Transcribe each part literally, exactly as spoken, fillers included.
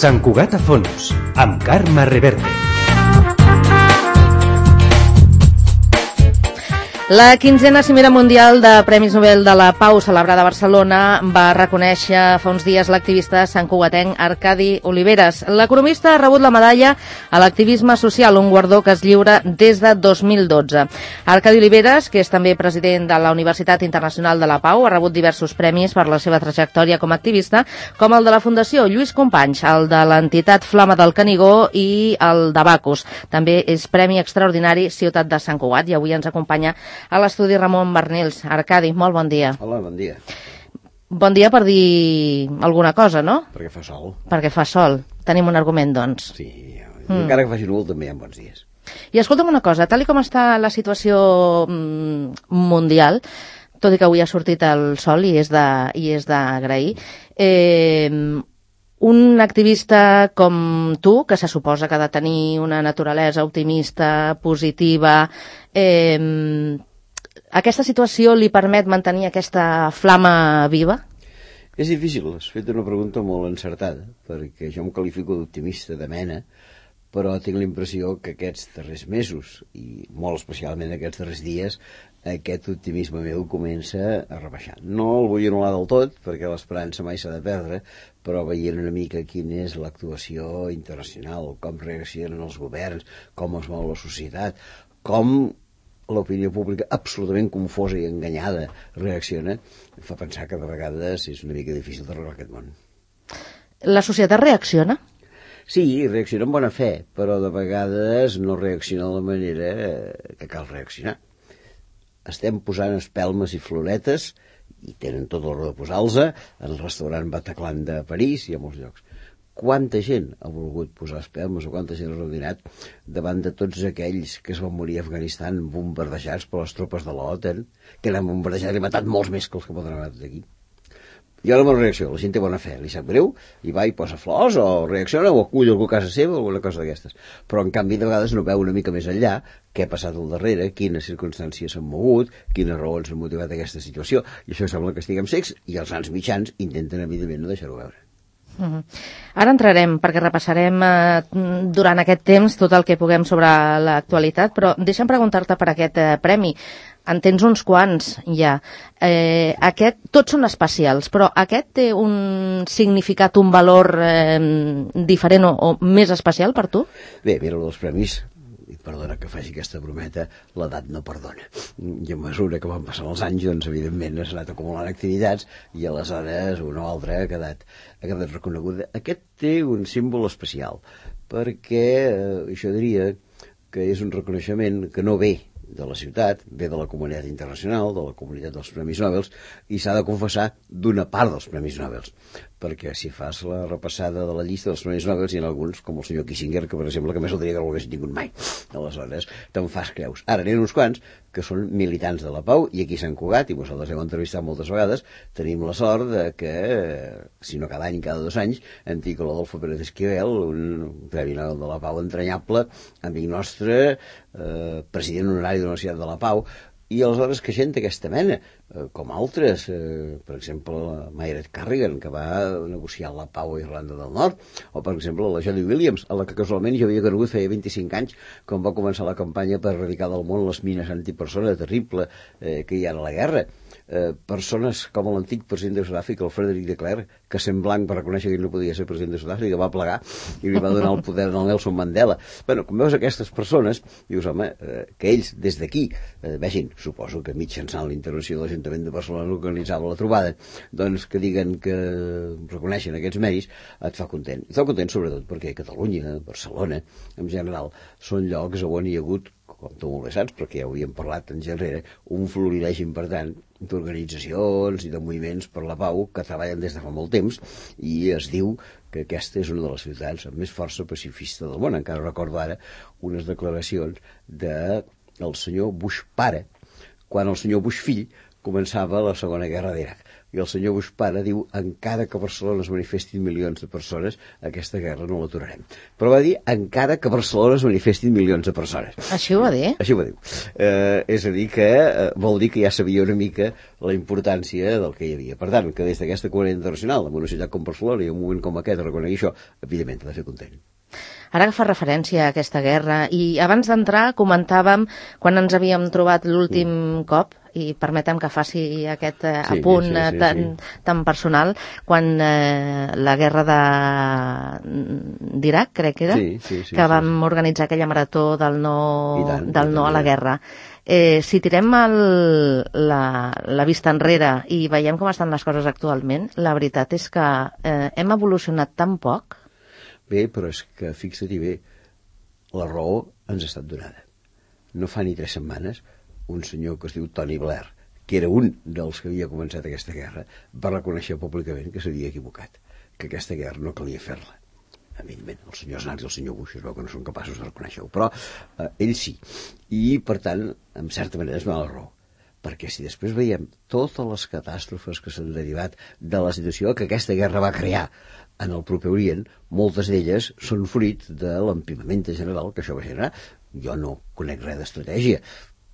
Sant Cugat a fons, amb Carme Reverte. La quinzena Cimera Mundial de Premis Nobel de la Pau, celebrada a Barcelona, va reconèixer fa uns dies l'activista santcugatenc Arcadi Oliveres. L'economista ha rebut la medalla a l'activisme social, un guardó que es lliura des de dos mil dotze. Arcadi Oliveres, que és també president de la Universitat Internacional de la Pau, ha rebut diversos premis per la seva trajectòria com a activista, com el de la Fundació Lluís Companys, el de l'entitat Flama del Canigó i el de Bacus. També és Premi Extraordinari Ciutat de Sant Cugat i avui ens acompanya a l'estudi Ramon Barnils. Arcadi, molt bon dia. Hola, bon dia. Bon dia per dir alguna cosa, no? Perquè fa sol. Perquè fa sol. Tenim un argument, doncs. Sí, mm. encara que faci núvol també hi ha bons dies. I escolta'm una cosa, tal i com està la situació mm, mundial, tot i que avui ha sortit el sol i és de, i és d'agrair, eh, un activista com tu, que se suposa que ha de tenir una naturalesa optimista, positiva, eh, aquesta situació li permet mantenir aquesta flama viva? És difícil, has fet una pregunta molt encertada, perquè jo em qualifico d'optimista de mena, però tinc la impressió que aquests darrers mesos, i molt especialment aquests darrers dies, aquest optimisme meu comença a rebaixar. No el vull anul·lar del tot, perquè l'esperança mai s'ha de perdre, però veient una mica quina és l'actuació internacional, com reaccionen els governs, com es mou la societat, com l'opinió pública absolutament confosa i enganyada reacciona, em fa pensar que de vegades és una mica difícil d'arreglar aquest món. La societat reacciona? Sí, reacciona amb bona fe, però de vegades no reacciona de la manera que cal reaccionar. Estem posant espelmes i floretes, i tenen tot el raó de posar-los, en el restaurant Bataclan de París i a molts llocs. Quanta gent ha volgut posar espelmes o quanta gent ha reunit davant de tots aquells que es van morir a Afganistan bombardejats per les tropes de l'OTAN, que l'han bombardejat i matat molts més que els que poden haver matat aquí. I ara la reacció, la gent té bona fe, li sap greu, i va i posa flors, o reacciona, o acull algú a casa seva, o alguna cosa d'aquestes. Però, en canvi, de vegades no veu una mica més enllà què ha passat al darrere, quines circumstàncies s'han mogut, quines raons han motivat aquesta situació, i això sembla que estiguem secs, i els grans mitjans intenten, evidentment, no deixar-ho veure. Uh-huh. Ara entrarem, perquè repassarem eh, durant aquest temps tot el que puguem sobre l'actualitat, però deixa'm preguntar-te per aquest eh, premi. En tens uns quants, ja. Eh, aquest, tots són especials, però aquest té un significat, un valor eh, diferent o, o més especial per tu? Bé, mira, els premis, i perdona que faci aquesta brometa, l'edat no perdona. I a mesura que van passant els anys, doncs, evidentment, s'ha anat acumulant activitats i aleshores una o altra ha quedat, ha quedat reconeguda. Aquest té un símbol especial, perquè eh, això diria que és un reconeixement que no ve de la ciutat, ve de la comunitat internacional, de la comunitat dels Premis Nobel, i s'ha de confessar d'una part dels Premis Nobel, perquè si fas la repassada de la llista dels Premis Nobel hi ha alguns, com el senyor Kissinger, que per exemple, que més el diria que no l'haguessin tingut mai. Aleshores, te'n fas creus. Ara n'hi ha uns quants que són militants de la pau, i aquí a Sant Cugat, i vosaltres heu entrevistat moltes vegades, tenim la sort de que, si no cada any, cada dos anys, en Tico Adolfo Pérez Esquivel, un Premi Nobel de la Pau entranyable, amic nostre, eh, president honorari de la Universitat de la Pau, i aleshores que gent d'aquesta mena, eh, com altres, eh, per exemple la Mayred Carrigan, que va negociar la pau a Irlanda del Nord, o per exemple la Jody Williams, a la que casualment jo havia conegut feia vint-i-cinc anys, quan va començar la campanya per erradicar del món les mines antipersona terrible eh, que hi ha a la guerra. Eh, persones com l'antic president de Sud-àfrica, el Frederic de Klerk, que sent blanc va reconèixer que ell no podia ser president de Sud-àfrica, va plegar i li va donar el poder al Nelson Mandela. Bueno, quan veus aquestes persones, dius, home, eh, que ells des d'aquí, eh, vegin, suposo que mitjançant la intervenció de l'Ajuntament de Barcelona organitzava la trobada, doncs que diguen que reconeixen aquests mèrits, et fa content. Et fa content sobretot perquè Catalunya, Barcelona, en general, són llocs on hi ha hagut, com tu molt bé saps, perquè ja ho havíem parlat en genere, un florilegi important d'organitzacions i de moviments per la pau que treballen des de fa molt temps, i es diu que aquesta és una de les ciutats amb més força pacifista del món. Encara recordo ara unes declaracions del senyor Bush pare, quan el senyor Bush fill començava la Segona Guerra d'Iraq. I el senyor Bushpana diu, encara que a Barcelona es manifestin milions de persones, aquesta guerra no l'aturarem. Però va dir, encara que a Barcelona es manifestin milions de persones. Així ho va dir? Així ho va dir. Eh, és a dir, que eh, vol dir que ja sabia una mica la importància del que hi havia. Per tant, que des d'aquesta comunitat internacional, en una ciutat com Barcelona i en un moment com aquest, reconegui això, evidentment t'ha de fer content. Ara que fa referència a aquesta guerra, i abans d'entrar comentàvem, quan ens havíem trobat l'últim mm. cop, i permetem que faci aquest eh, sí, apunt sí, sí, tan, sí. tan personal, quan eh, la guerra d'Iraq, crec que era, sí, sí, sí, que vam sí, sí. organitzar aquella marató del no, tant, del no a la guerra. Eh, si tirem el, la, la vista enrere i veiem com estan les coses actualment, la veritat és que eh, hem evolucionat tan poc. Bé, però és que, fixa-t'hi bé, la raó ens ha estat donada. No fa ni tres setmanes, un senyor que es diu Tony Blair, que era un dels que havia començat aquesta guerra, va reconèixer públicament que s'havia equivocat, que aquesta guerra no calia fer-la. Evidentment, el senyor Snars i el senyor Bush es veu que no són capaços de reconèixer-ho, però eh, ell sí. I, per tant, en certa manera es dona la raó. Perquè si després veiem totes les catàstrofes que s'han derivat de la situació que aquesta guerra va crear en el proper Orient, moltes d'elles són fruit de l'empimament general que això va generar. Jo no conec res d'estratègia,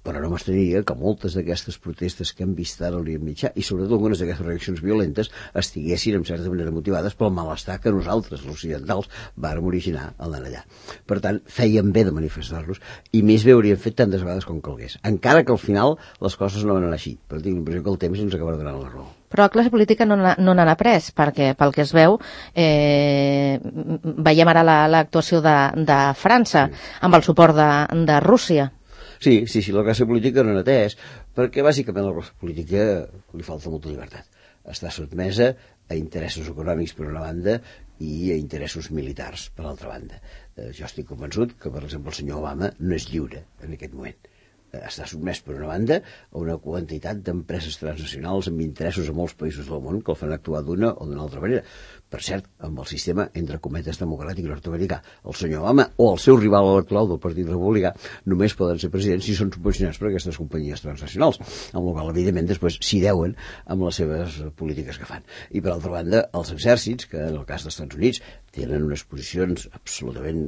però no m'estraniria que moltes d'aquestes protestes que hem vist ara a l'Orient Mitjà, i sobretot algunes d'aquestes reaccions violentes, estiguessin en certa manera motivades pel malestar que nosaltres, els occidentals, vàrem originar al anar allà. Per tant, feien bé de manifestar-los, i més bé hauríem fet tantes vegades com calgués. Encara que al final les coses no van anar així, però tinc l'impressió que el temps ens acabarà donant la raó. Però la classe política no n'ha no pres, perquè pel que es veu, eh, veiem ara l'actuació de, de França, sí. amb el suport de, de Rússia. Sí, sí, sí, la classe política no n'ha atès, perquè bàsicament la classe política li falta molta llibertat. Està sotmesa a interessos econòmics per una banda i a interessos militars per l'altra banda. Eh, jo estic convençut que, per exemple, el senyor Obama no és lliure en aquest moment. Està sotmès per una banda a una quantitat d'empreses transnacionals amb interessos a molts països del món que el fan actuar d'una o d'una altra manera. Per cert, amb el sistema, entre cometes, democràtic nord-americà. El senyor Obama o el seu rival electoral del Partit Republicà només poden ser presidents si són subvencionats per aquestes companyies transnacionals, amb la qual, evidentment, després s'hi deuen amb les seves polítiques que fan. I, per altra banda, els exèrcits, que en el cas dels Estats Units tenen unes posicions absolutament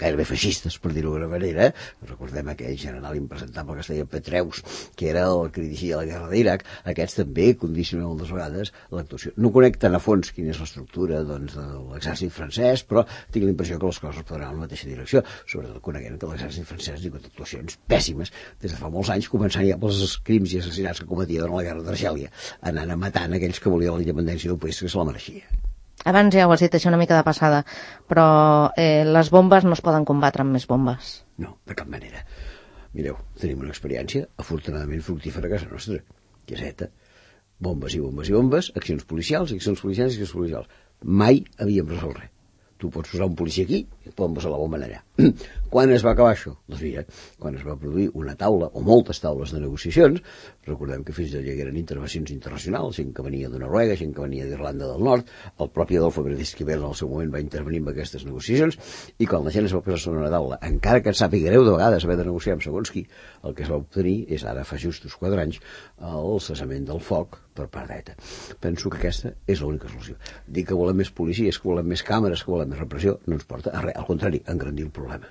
gairebé feixistes, per dir-ho d'alguna manera. Recordem aquell general impresentable que es deia Petraeus, que era el que dirigia la guerra d'Iraq. Aquests també condicionen moltes vegades l'actuació. No conec tan a fons quina és l'estructura doncs, de l'exèrcit francès, però tinc la impressió que les coses poden anar en la mateixa direcció, sobretot coneguent que l'exèrcit francès ha tingut actuacions pèssimes des de fa molts anys, començant ja pels crims i assassinats que cometia durant la guerra d'Argèlia, anant a matant aquells que volien la independència d'un país que se la mereixia. Abans ja ho has dit, això una mica de passada, però eh, les bombes no es poden combatre amb més bombes. No, de cap manera. Mireu, tenim una experiència afortunadament fructífera a casa nostra, que és ETA. Bombes i bombes i bombes, accions policials, accions policials i accions policials. Mai havíem resolt res. Tu pots posar un policia aquí i et poden posar la bomba allà. Quan es va acabar això? Doncs mira, quan es va produir una taula o moltes taules de negociacions, recordem que fins allà hi eren intervencions internacionals, gent que venia de Noruega, gent que venia d'Irlanda del Nord, el propi Adolfo Benedicte Esquivel en el seu moment va intervenir en aquestes negociacions, i quan la gent es va posar sobre una taula, encara que et sàpiga greu de vegades haver de negociar amb segons qui, el que es va obtenir és ara fa justos quatre anys el cessament del foc per part d'ETA. Penso que aquesta és l'única solució. Dir que volem més policies, que volem més càmeres, que volem més repressió, no ens porta a res, al contrari, a engrandir el problema.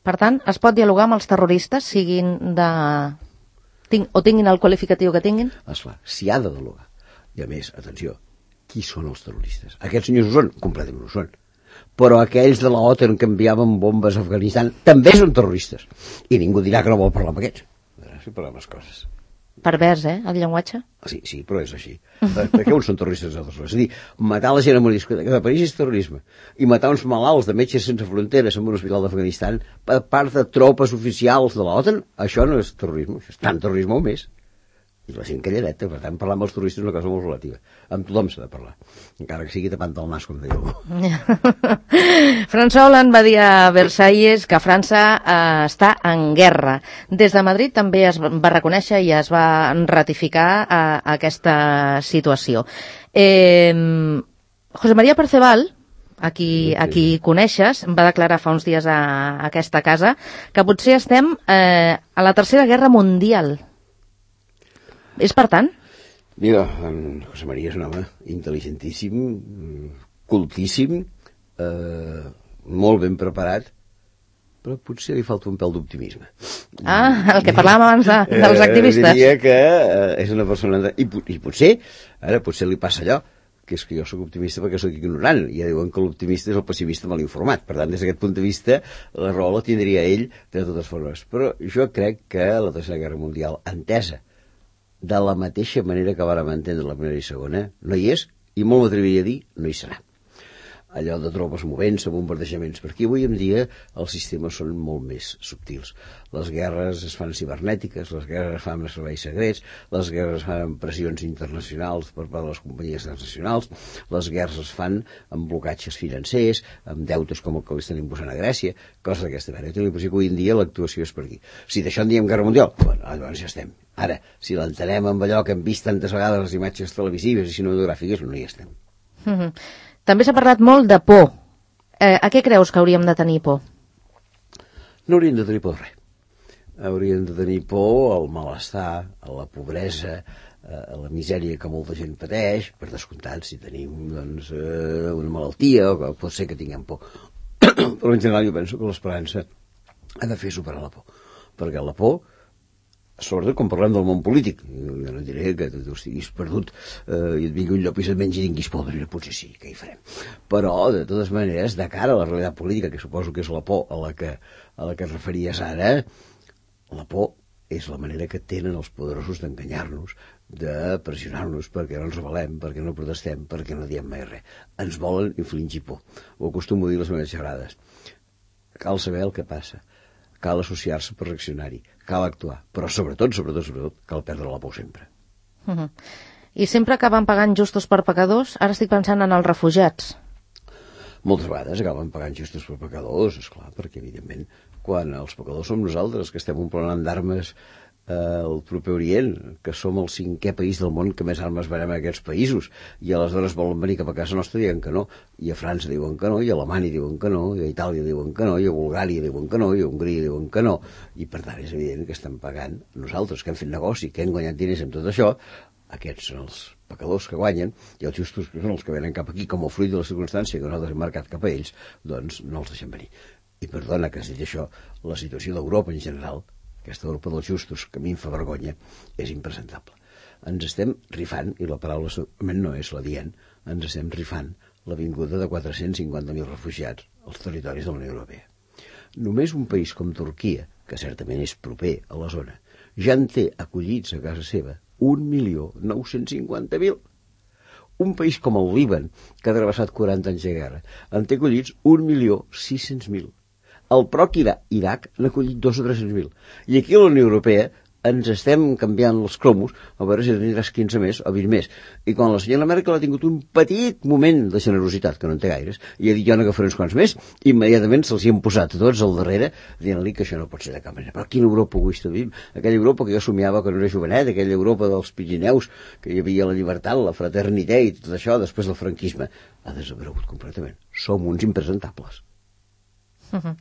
Per tant, es pot dialogar amb els terroristes, siguin de... Tinc... o tinguin el qualificatiu que tinguin? Esclar, s'hi ha de dialogar. I a més, atenció, qui són els terroristes? Aquests senyors ho són? Completament ho són. Però aquells de l'OTAN que enviaven bombes a Afganistan també són terroristes. I ningú dirà que no vol parlar amb aquests. A veure si parlem les coses. Pervers, eh, el llenguatge? Sí, sí, però és així. Perquè uns són terroristes i altres no. És a dir, matar la gent en una discoteca de París és terrorisme. I matar uns malalts de Metges Sense Fronteres en un hospital d'Afganistan per part de tropes oficials de l'OTAN, això no és terrorisme, això és tant terrorisme o més. I la gent calladeta, per tant, parlar amb els terroristes és una cosa molt relativa. Amb tothom s'ha de parlar, encara que sigui tapant el nas, com deia algú. François Hollande va dir a Versalles que França eh, està en guerra. Des de Madrid també es va reconèixer i es va ratificar eh, aquesta situació. Eh, José María Perceval, a qui, a qui coneixes, va declarar fa uns dies a, a aquesta casa que potser estem eh, a la Tercera Guerra Mundial. És per tant? Mira, en José María és un home intel·ligentíssim, cultíssim, eh, molt ben preparat, però potser li falta un pèl d'optimisme. Ah, el que parlàvem abans de, dels activistes. Eh, diria que eh, és una persona... I, I potser, ara potser li passa allò, que és que jo sóc optimista perquè sóc ignorant, i ja diuen que l'optimista és el pessimista mal informat. Per tant, des d'aquest punt de vista, la raó la tindria ell de totes formes. Però jo crec que la Tercera Guerra Mundial, entesa de la mateixa manera que vàrem entendre la Primera i Segona, no hi és, i molt m'atreviria a dir, no hi serà. Allò de tropes movent-se, bombardejaments. Perquè avui en dia els sistemes són molt més subtils. Les guerres es fan cibernètiques, les guerres es fan amb serveis secrets, les guerres es fan amb pressions internacionals per part de les companyies transnacionals, les guerres es fan amb blocatges financers, amb deutes com el que li estan imposant a Grècia, coses d'aquesta manera. Jo tinc la impressió que avui en dia l'actuació és per aquí. Si d'això en diem Guerra Mundial, bueno, llavors ja estem. Ara, si l'entenem amb allò que hem vist tantes vegades les imatges televisives i cinematogràfiques, no hi estem. Mm-hmm. També s'ha parlat molt de por. Eh, a què creus que hauríem de tenir por? No hauríem de tenir por de res. Hauríem de tenir por al malestar, a la pobresa, a la misèria que molta gent pateix, per descomptat, si tenim doncs, eh, una malaltia, o que pot ser que tinguem por. Però en general jo penso que l'esperança ha de fer superar la por. Perquè la por, sobretot quan parlem del món polític, jo no diré que tu estiguis perdut eh, i et vingui un llop i se't mengi i tinguis por, però potser sí, què hi farem? Però, de totes maneres, de cara a la realitat política, que suposo que és la por a la que, a la que et referies ara, la por és la manera que tenen els poderosos d'enganyar-nos, de pressionar-nos perquè no ens rebel·lem, perquè no protestem, perquè no diem mai res. Ens volen infligir por. Ho acostumo a dir les meves xerrades. Cal saber el que passa. Cal associar-se per reaccionar-hi, cal actuar, però sobretot, sobretot, sobretot, cal perdre la por sempre. Uh-huh. I sempre acaben pagant justos per pecadors? Ara estic pensant en els refugiats. Moltes vegades acaben pagant justos per pecadors, esclar, perquè evidentment quan els pecadors som nosaltres, que estem omplint d'armes eh, al proper Orient, que som el cinquè país del món que més armes venem a aquests països, i aleshores volen venir cap a casa nostra i diuen que no, i a França diuen que no, i a Alemanya diuen que no, i a Itàlia diuen que no, i a Bulgària diuen que no, i a Hongria diuen que no, i per tant és evident que estem pagant nosaltres, que hem fet negoci, que hem guanyat diners amb tot això. Aquests són els pecadors que guanyen, i els justos, que són els que venen cap aquí com a fruit de la circumstància que nosaltres hem marcat cap a ells, doncs no els deixem venir. I perdona que has dit això, la situació d'Europa en general, aquesta Europa dels justos, que a mi em fa vergonya, és impresentable. Ens estem rifant, i la paraula segurament no és la dient, ens estem rifant la vinguda de quatre-cents cinquanta mil refugiats als territoris de la Unió Europea. Només un país com Turquia, que certament és proper a la zona, ja en té acollits a casa seva un milió nou-cents cinquanta mil. Un país com el Líban, que ha travessat quaranta anys de guerra, en té acollits un milió sis-cents mil. El propi Iraq n'ha acollit dos o tres-cents mil. I aquí a la Unió Europea ens estem canviant els cromos a veure si tindràs quinze més o vint més. I quan la senyora Merkel ha tingut un petit moment de generositat, que no en té gaires, i ha dit jo n'agafaré uns quants més, immediatament se'ls hi han posat tots al darrere dient-li que això no pot ser de cap manera. Però quina Europa egoista vivim? Aquella Europa que jo somiava quan era jovenet, aquella Europa dels Pirineus, que hi havia la llibertat, la fraternitat i tot això, després del franquisme, ha desaparegut completament. Som uns impresentables. Uh-huh.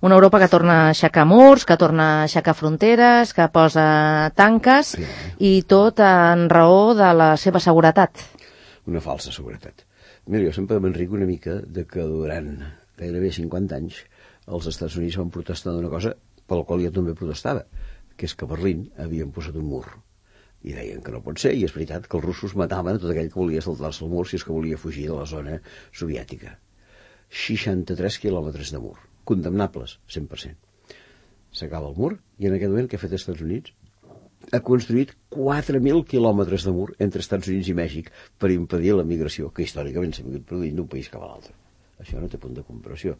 Una Europa que torna a aixecar murs, que torna a aixecar fronteres, que posa tanques, sí, i tot en raó de la seva seguretat. Una falsa seguretat. Mira, jo sempre m'enrico una mica de que durant gairebé cinquanta anys els Estats Units van protestar d'una cosa per la qual jo també protestava, que és que a Berlín havien posat un mur. I deien que no pot ser, i és veritat que els russos mataven a tot aquell que volia saltar-se el mur si és que volia fugir de la zona soviètica. seixanta-tres quilòmetres de mur, condemnables, cent per cent. S'acaba el mur, i en aquest moment què ha fet els Estats Units? Ha construït quatre mil quilòmetres de mur entre Estats Units i Mèxic per impedir la migració, que històricament s'ha vingut produint d'un país cap a l'altre. Això no té punt de comparació.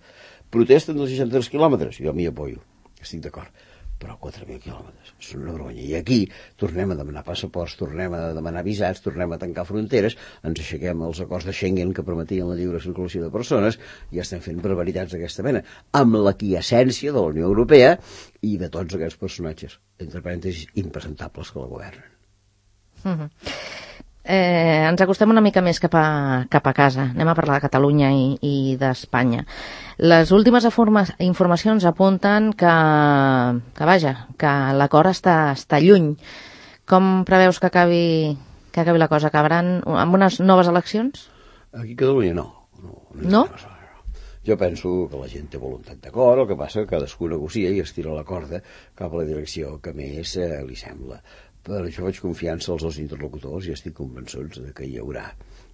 Protesten dels seixanta-tres quilòmetres? Jo m'hi apoyo, estic d'acord. Però quatre mil quilòmetres, són una vergonya. I aquí tornem a demanar passaports, tornem a demanar visats, tornem a tancar fronteres, ens aixequem els acords de Schengen que permetien la lliure circulació de persones, i estem fent barbaritats d'aquesta mena, amb la quiescència de la Unió Europea i de tots aquests personatges, entre parèntesis, impresentables que la governen. Mm-hmm. Eh, ens acostem una mica més cap a, cap a casa. Anem a parlar de Catalunya i, i d'Espanya. Les últimes informacions apunten que, que vaja, que l'acord està, està lluny. Com preveus que acabi, que acabi la cosa? Acabaran amb unes noves eleccions? Aquí a Catalunya no. No? No? no? Jo penso que la gent té voluntat d'acord, el que passa que cadascú negocia i estira la corda cap a la direcció que més eh, li sembla. Per això faig confiança als dos interlocutors i estic convençuts de que hi haurà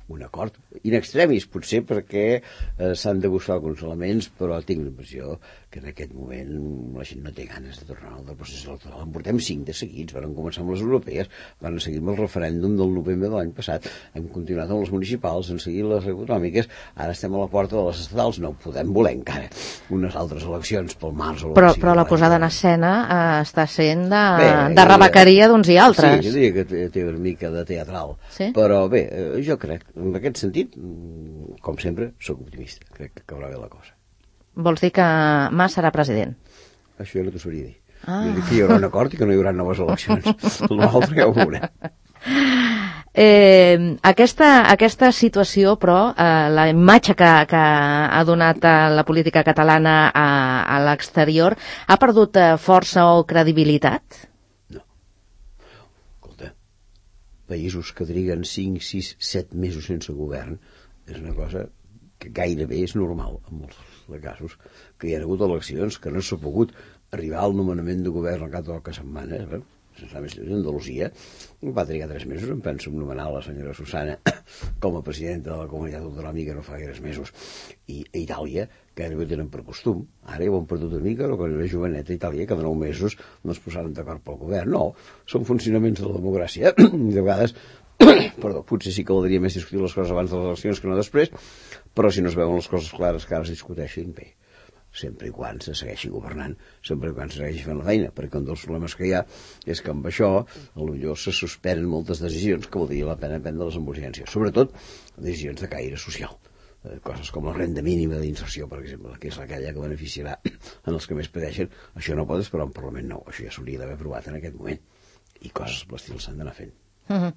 un acord. In extremis, potser perquè eh, s'han de buscar alguns elements, però tinc l'impressió que en aquest moment la gent no té ganes de tornar al procés electoral. En portem cinc de seguits, van començar amb les europees, van seguir amb el referèndum del novembre de l'any passat, hem continuat amb les municipals, han seguit les autonòmiques, ara estem a la porta de les estatals, no podem voler encara unes altres eleccions pel març o però, però la posada en escena eh, està sent de, bé, de rebequeria d'uns i altres. Sí, jo diria que té, té una mica de teatral, sí? Però bé, eh, jo crec, en aquest sentit, com sempre, sóc optimista, crec que acabarà bé la cosa. Vols dir que Mas serà president? Això ja no t'ho sabria dir. Ah. Jo dic que hi haurà un acord i que no hi haurà noves eleccions. L'altre ja ho veurem. Eh, aquesta, aquesta situació, però, eh, la imatge que, que ha donat eh, la política catalana a, a l'exterior, ha perdut eh, força o credibilitat? No. Escolta, països que triguen cinc, sis, set mesos sense govern és una cosa que gairebé és normal en molts de casos, que hi ha hagut eleccions, que no s'ha pogut arribar al nomenament de govern al cap de poques setmanes, eh? Sense anar més lluny, Andalusia va trigar tres mesos, em penso, en nomenar la senyora Susana com a presidenta de la comunitat autonòmica no fa gaires mesos, i a Itàlia, que ara ho tenen per costum, ara ja ho han perdut una mica, però quan era joveneta a Itàlia, cada nou mesos no es posaven d'acord pel govern. No, són funcionaments de la democràcia, i de vegades perdó, potser sí que valdria més discutir les coses abans de les eleccions que no després, però si no es veuen les coses clares que ara es discuteixin, bé, sempre i quan se segueixi governant, sempre i quan se segueixi fent la feina, perquè un dels problemes que hi ha és que amb això potser se suspenen moltes decisions que valdria la pena prendre-les amb urgència, sobretot decisions de caire social, eh, coses com la renda mínima d'inserció, per exemple, que és aquella que beneficiarà en els que més pateixen. Això no pot esperar un Parlament nou, això ja s'hauria d'haver aprovat en aquest moment, i coses de l'estil s'han d'anar fent. Uh-huh.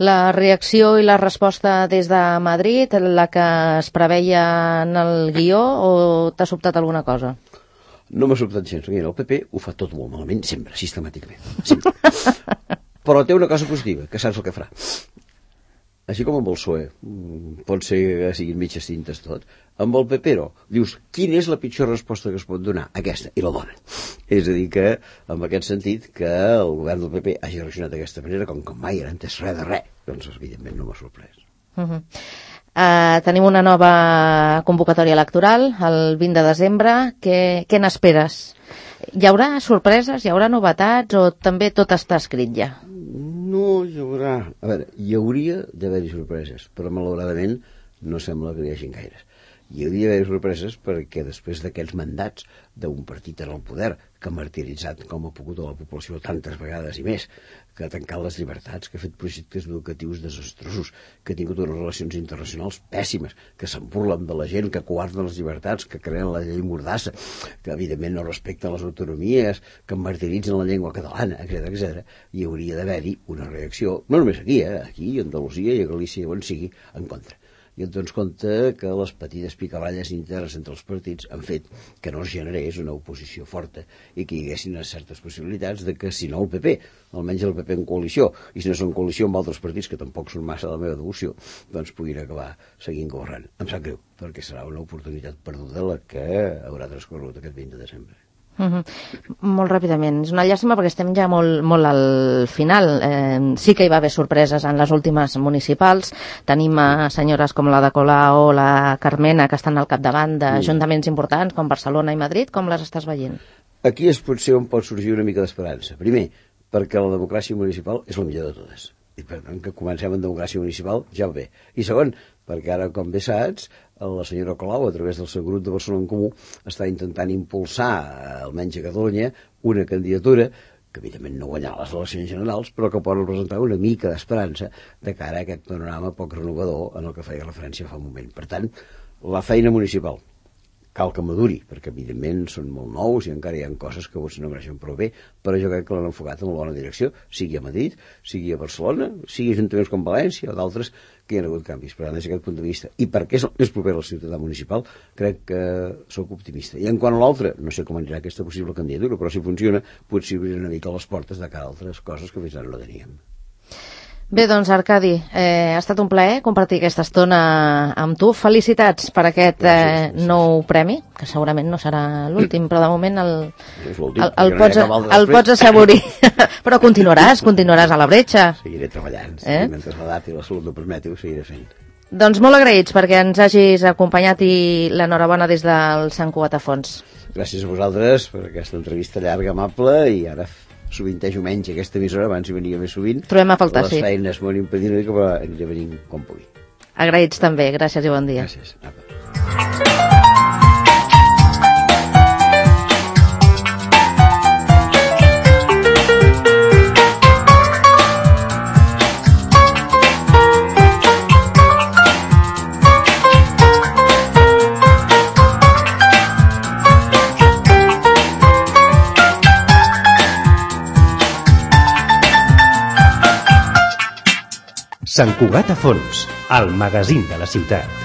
La reacció i la resposta des de Madrid, la que es preveia en el guió, o t'ha sobtat alguna cosa? No m'ha sobtat gens. El P P ho fa tot molt malament, sempre, sistemàticament. Sempre. Però té una cosa positiva, que saps el que farà. Així com amb el P S O E, pot ser que siguin mitges tintes tot, amb el P P no. Dius, quina és la pitjor resposta que es pot donar? Aquesta, i la dona. És a dir que, en aquest sentit, que el govern del P P hagi reaccionat d'aquesta manera, com que mai era entès res de res, doncs evidentment no m'ha sorprès. Uh-huh. Uh, tenim una nova convocatòria electoral, el vint de desembre. Què, què n'esperes? Hi haurà sorpreses, hi haurà novetats, o també tot està escrit ja? No, hi haurà... A veure, hi hauria d'haver-hi sorpreses, però malauradament no sembla que hi hagin gaires. Hi hauria d'haver sorpreses perquè després d'aquests mandats d'un partit en el poder que ha martiritzat com ha pogut a la població tantes vegades i més, que ha tancat les llibertats, que ha fet projectes educatius desastrosos, que ha tingut unes relacions internacionals pèssimes, que se'n burlen de la gent, que coarden les llibertats, que creen la llei mordassa, que evidentment no respecten les autonomies, que martiritzen la llengua catalana, etcètera, etcètera. Hi hauria d'haver-hi una reacció, no només aquí, eh? Aquí, a Andalusia i a Galícia, on sigui, en contra. I et dones compte que les petites picaballes internes entre els partits han fet que no es generés una oposició forta i que hi haguessin certes possibilitats de que, si no el P P, almenys el P P en coalició, i si no són en coalició amb altres partits que tampoc són massa de la meva devoció, doncs puguin acabar seguint governant. Em sap greu, perquè serà una oportunitat perduda la que haurà transcorregut aquest vint de desembre. Uh-huh. Molt ràpidament, és una llàstima perquè estem ja molt, molt al final. Eh, sí que hi va haver sorpreses en les últimes municipals. Tenim a senyores com la de Colau o la Carmena que estan al capdavant d'ajuntaments importants com Barcelona i Madrid. Com les estàs veient? Aquí és potser on pot sorgir una mica d'esperança. Primer, perquè la democràcia municipal és la millor de totes. I per tant, que comencem amb democràcia municipal ja va bé. I segon, perquè ara, com bé saps, la senyora Colau, a través del seu grup de Barcelona en Comú, està intentant impulsar, almenys a Catalunya, una candidatura que evidentment no guanyarà les eleccions generals, però que pot representar una mica d'esperança de cara a aquest panorama poc renovador en el que feia referència fa un moment. Per tant, la feina municipal, cal que maduri, perquè evidentment són molt nous i encara hi ha coses que potser no mereixen prou bé, però jo crec que l'han enfocat en la bona direcció, sigui a Madrid, sigui a Barcelona, sigui a ajuntaments com València o d'altres que hi ha hagut canvis. Per tant, des d'aquest punt de vista, i perquè és el més proper al ciutadà municipal, crec que sóc optimista. I en quant a l'altre, no sé com anirà aquesta possible candidatura, però si funciona, potser obrir una mica les portes de cara a altres coses que fins ara no teníem. Bé, doncs, Arcadi, eh, ha estat un plaer compartir aquesta estona amb tu. Felicitats per aquest eh, nou premi, que segurament no serà l'últim, però de moment el, el, el, pots, el pots assaborir. Però continuaràs, continuaràs a la bretxa. Seguiré treballant, eh? Sí, mentre l'edat i la salut ho permeti, ho seguiré fent. Doncs molt agraïts perquè ens hagis acompanyat i l'enhorabona des del Sant Cugat a Fons. Gràcies a vosaltres per aquesta entrevista llarga, amable, i ara sovintejo menys aquesta emissora, abans hi venia més sovint. Trobem a faltar, sí. Les feines m'ho han impedit una mica, però aniré venint com pugui. Agraïts també, gràcies i bon dia. Gràcies. Apa. Sant Cugat a Fons, el magazín de la ciutat.